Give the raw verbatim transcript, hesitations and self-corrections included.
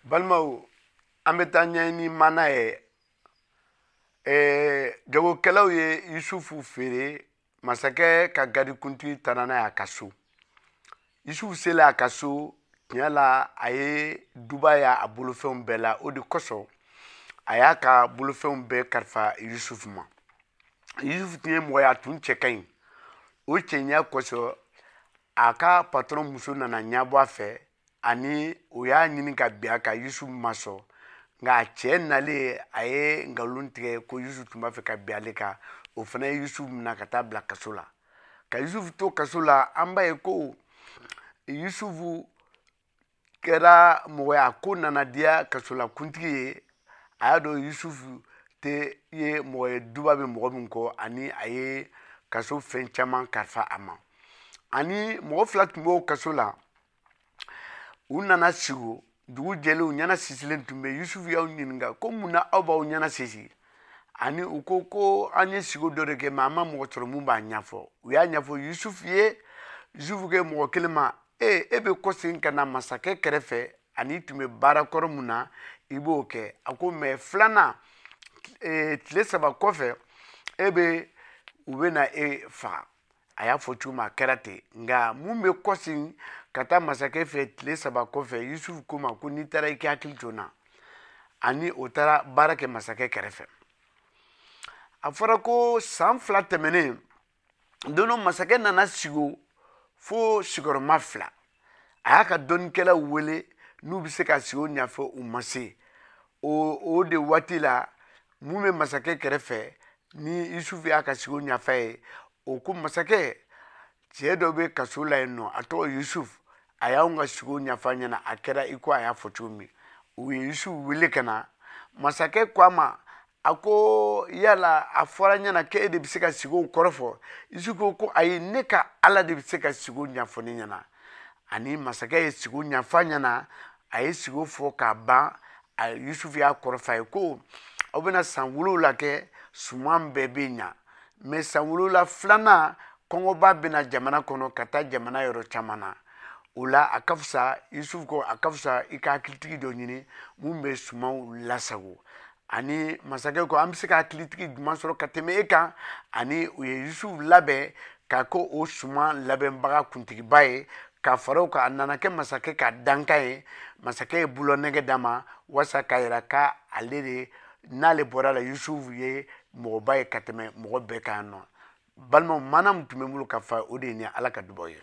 Balimaw, an bɛ taa ɲɛɲini mana ye. Ɛɛ jagokɛlaw ye Yusufu feere. Masakɛ ka garikuntigi taara n'a ye a ka so. Yusufu selen a ka so, tiɲɛ la, a ye duba y'a bolofɛnw bɛɛ la. O de kosɔn a y'a ka bolofɛnw bɛɛ kalifa Yusufu ma. Yusufu tun ye mɔgɔ ye, a tun cɛ ka ɲi. O cɛɲa kosɔn, a ka patɔrɔn muso nana ɲɛbɔ a fɛ, ani o y'a ɲini ka bin a kan. Yusufu ma sɔn, nka a cɛ nalen, a ye nkalon tigɛ ko Yusufu tun b'a fɛ ka bin ale kan. O fana ye Yusufu minɛ ka taa bila kaso la. Ka Yusufu to kaso la, an b'a ye ko Yusufu kɛra mɔgɔ ye, a ko nana diya kasolakuntigi ye. A y'a dɔn Yusufu tɛ ye mɔgɔ ye duba bɛ mɔgɔ min kɔ, ani a ye kaso fɛn caman kalifa a ma. Ani mɔgɔ fila tun b'o kaso la. U nana sigi, dugu jɛlen, u ɲɛna sisilen tun bɛ. Yusufu y'aw ɲininka ko mun na aw b'aw ɲɛna sisi? Ani u ko ko an ye sigo dɔ de kɛ, mɛ an ma mɔgɔ sɔrɔ mun b'a ɲɛfɔ. U y'a ɲɛfɔ Yusufu ye. Yusufu kɛ mɔgɔ kelen ma: e e bɛ kɔsegin ka na masakɛ kɛrɛfɛ, ani tun bɛ baara kɔrɔ mun na, i b'o kɛ. A ko mɛ filanan, tile saba kɔfɛ, e bɛ u bɛ na e faga. A y'a fɔ cogo min, a kɛra ten. Nka mun bɛ kɔsegin ka taa masakɛ fɛ tile saba kɔfɛ? Yusufu ko ma ko n'i taara, i k'i hakili to n na. Ani o taara baara kɛ masakɛ kɛrɛfɛ. A fɔra ko san fila tɛmɛnen don dɔ, masakɛ nana sigi fo sigiyɔrɔma fila. A y'a ka dɔnnikɛlaw wele n'u bɛ se ka sigi o ɲɛfɔ, u ma se. o o de waati la, mun bɛ masakɛ kɛrɛfɛ ni Yusufu y'a ka sigi o ɲɛfɔ ye, o ko: masakɛ, cɛ dɔ bɛ kaso la yen nɔ, a tɔgɔ Yusufu, a y'anw ka sigi o ɲɛfɔ an ɲɛna, a kɛra i ko a y'a fɔ cogo min. U ye Yusufu wele ka na. Masakɛ ko a ma, a ko: yala a fɔra ɲɛna k'e de bɛ se ka sigi o kɔrɔ fɔ? Yusufu ko ko ayi, ne ka Ala de bɛ se ka sigi o ɲɛfɔ ne ɲɛna. Ani masakɛ ye sigi o ɲɛfɔ a ɲɛna. A ye sigi o fɔ k'a ban, a Yusufu y'a kɔrɔ fɔ a ye ko aw bɛna san wolonwula kɛ, suman bɛɛ bɛ ɲa, mɛ san wolonwula filanan, kɔngɔba bɛna jamana kɔnɔ ka taa jamana yɔrɔ caman na. O la, a ka fisa, Yusufu ko a ka fisa i ka hakilitigi dɔ ɲini mun bɛ sumanw lasago. Ani masakɛ ko an bɛ se ka hakilitigi jumɛn sɔrɔ ka tɛmɛ e kan? Ani u ye Yusufu labɛn ka ko o suman labɛnbaga kuntigiba ye. Ka fara o kan, a nana kɛ masakɛ ka dankan ye. Masakɛ ye bulonɛgɛ d'a ma walasa k'a yira k'ale de n'ale bɔra la, Yusufu ye mɔgɔba ye ka tɛmɛ mɔgɔ bɛɛ kan nɔ. Balimaw, mana min tun bɛ n bolo ka fa, o de ye nin. Ala ka dubaw ye.